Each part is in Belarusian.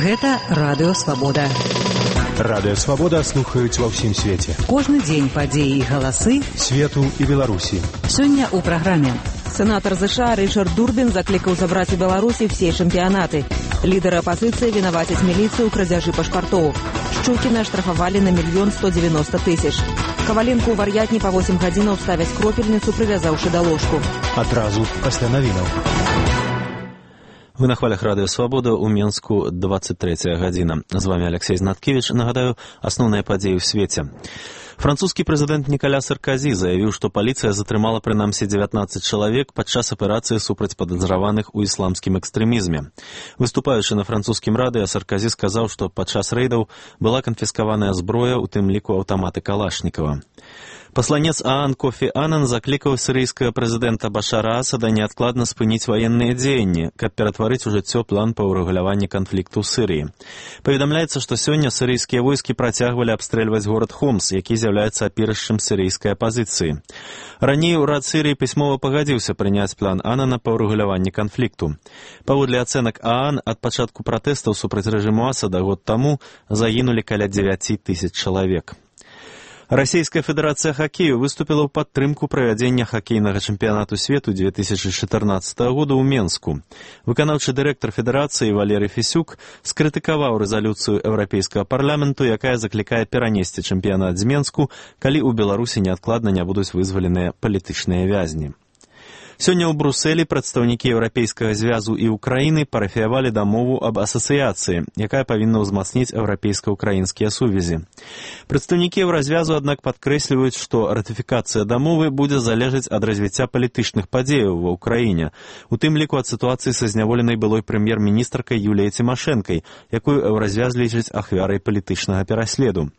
Гэта Радыё Свабода. Радыё Свабода слухаюць ва ўсім свеце. Кожны дзень падзеі і галасы свету і Беларусі. Сёння ў праграме. Сенатор США Ричард Дурбин закликал забрать у Беларуси все чемпионаты. Лидеры оппозиции виноватят милицию в крадяжи пашпартов. Щукина штрафовали на 1 190 000. Коваленко у вар'ятні по 8 гадзінаў ставяць кропельницу, привязавши до ложку. Адразу пасля навінаў. Вы на хвалях Радыё Свабода, у Менску 23 гадзіна. З вами Алексей Знаткевич. Нагадаю, асноўныя падзеі ў свеце. Французскі прэзідэнт Нікаля Сарказі заявіў, што паліцыя затрымала прынамсі 19 чалавек падчас аперацыі супраць падазраваных у ісламскім экстрэмізме. Выступаючы на французскім радыё, Сарказі сказаў, што падчас рэйдаў была канфіскаваная зброя, у тым ліку аўтаматы Калашнікава. Пасланец ААН Кофі Анан заклікаў сірыйскага прэзідэнта Башара Асада неадкладна спыніць ваенныя дзеянні, каб ператварыць у жыццё план па ўрэгуляванні канфлікту ў Сірыі. Паведамляецца, што сёння сірыйскія войскі працягвалі абстрэльваць горад Хомс, які з'яўляецца апірышчам сірыйскай апазіцыі. Раней урад Сірыі пісьмова пагадзіўся прыняць план Анана па ўрэгуляванні канфлікту. Паводле ацэнак ААН, ад пачатку пратэстаў супраць рэжыму Асада год таму загінулі каля 9 000 чалавек. Расійская федэрацыя хакею выступіла ў падтрымку правядзення хакейнага чэмпіянату свету 2014 года ў Менску. Выканаўчы дырэктар федэрацыі Валерый Фісюк скрытыкаваў рэзалюцыю Еўрапейскага парламенту, якая заклікае перанесці чэмпіянат з Менску, калі ў Беларусі неадкладна не будуць вызваленыя палітычныя вязні. Сёння ў Брусэлі прадстаўнікі Еўрапейскага звязу і Украіны парафіявалі дамову аб асацыяцыі, якая павінна ўзмацніць еўрапейска-украінскія сувязі. Прадстаўнікі Еўразвязу, аднак, падкрэсліваюць, што ратыфікацыя дамовы будзе залежаць ад развіцця палітычных падзеяў ва ўкраіне, у тым ліку ад сітуацыі са зняволенай былой прэм'ер-міністркай Юліяй Цімашэнкай, якую Еўразвяз лічыць ахвярай палітычнага пераследу.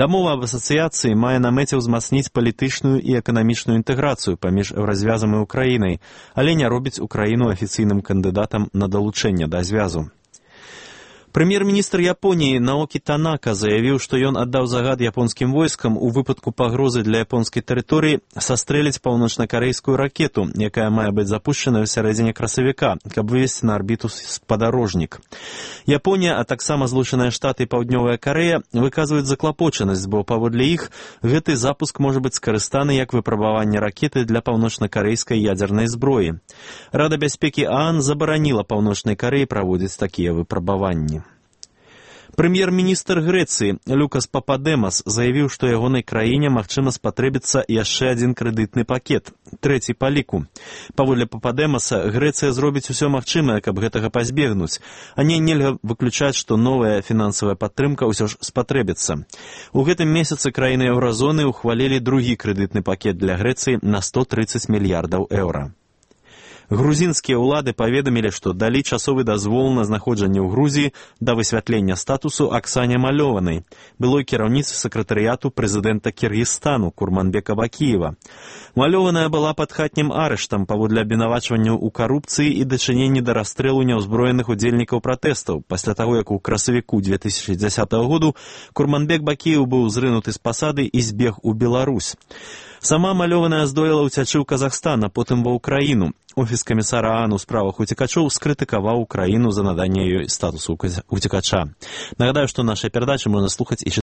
Дамова аб асацыяцыі мае на мэце ўзмацніць палітычную і эканамічную інтэграцыю паміж Еўразвязам і Украінай, але не робіць Украіну афіцыйным кандыдатам на далучэнне да звязу. Прэм'ер-міністр Японіі Наокі Танака заявіў, што ён аддаў загад японскім войскам у выпадку пагрозы для японскай тэрыторыі састрэліць паўночна-карэйскую ракету, якая мае быць запушчаная ў сярэдзіне красавіка, каб вывесці на арбіту спадарожнік. Японія, а таксама Злучаныя Штаты і Паўднёвая Карэя выказваюць заклапочанасць, бо паводле іх гэты запуск можа быць скарыстаны як выпрабаванне ракеты для паўночна-карэйскай ядзернай зброі. Рада бяспекі ААН забараніла Паўночнай Карэі праводзіць такія выпрабаванні. Прэм'ер-міністр Грэцыі Люкас Пападэмас заявіў, што ягонай краіне магчыма спатрэбіцца яшчэ адзін крэдытны пакет, трэці па ліку. Паводле Пападэмаса, Грэцыя зробіць усё магчымае, каб гэтага пазбегнуць, а нельга выключаць, што новая фінансавая падтрымка ўсё ж спатрэбіцца. У гэтым месяцы краіны еўразоны ухвалілі другі крэдытны пакет для Грэцыі на 130 мільярдаў еўра. Грузінскія ўлады паведамілі, што далі часовы дазвол на знаходжанне ў Грузіі да высвятлення статусу Аксане Малёванай, былой кіраўніцы сакратарыяту прэзідэнта Кіргізстану Курманбека Бакіева. Малёваная была пад хатнім арыштам паводле абвінавачванняў у карупцыі і дачыненні да расстрэлу няўзброеных удзельнікаў пратэстаў. Пасля таго, як у красавіку 2010 году Курманбек Бакіев быў зрынуты з пасады і збег у Беларусь. Сама Малёваная здолела ўцячы ў Казахстан, а потым ва ўкраіну. Офіс камісара ААН у справах уцекачоў скрытыкаваў Украіну за наданне ёй статусу уцекача. Нагадаю, што нашыя перадачы можна слухаць і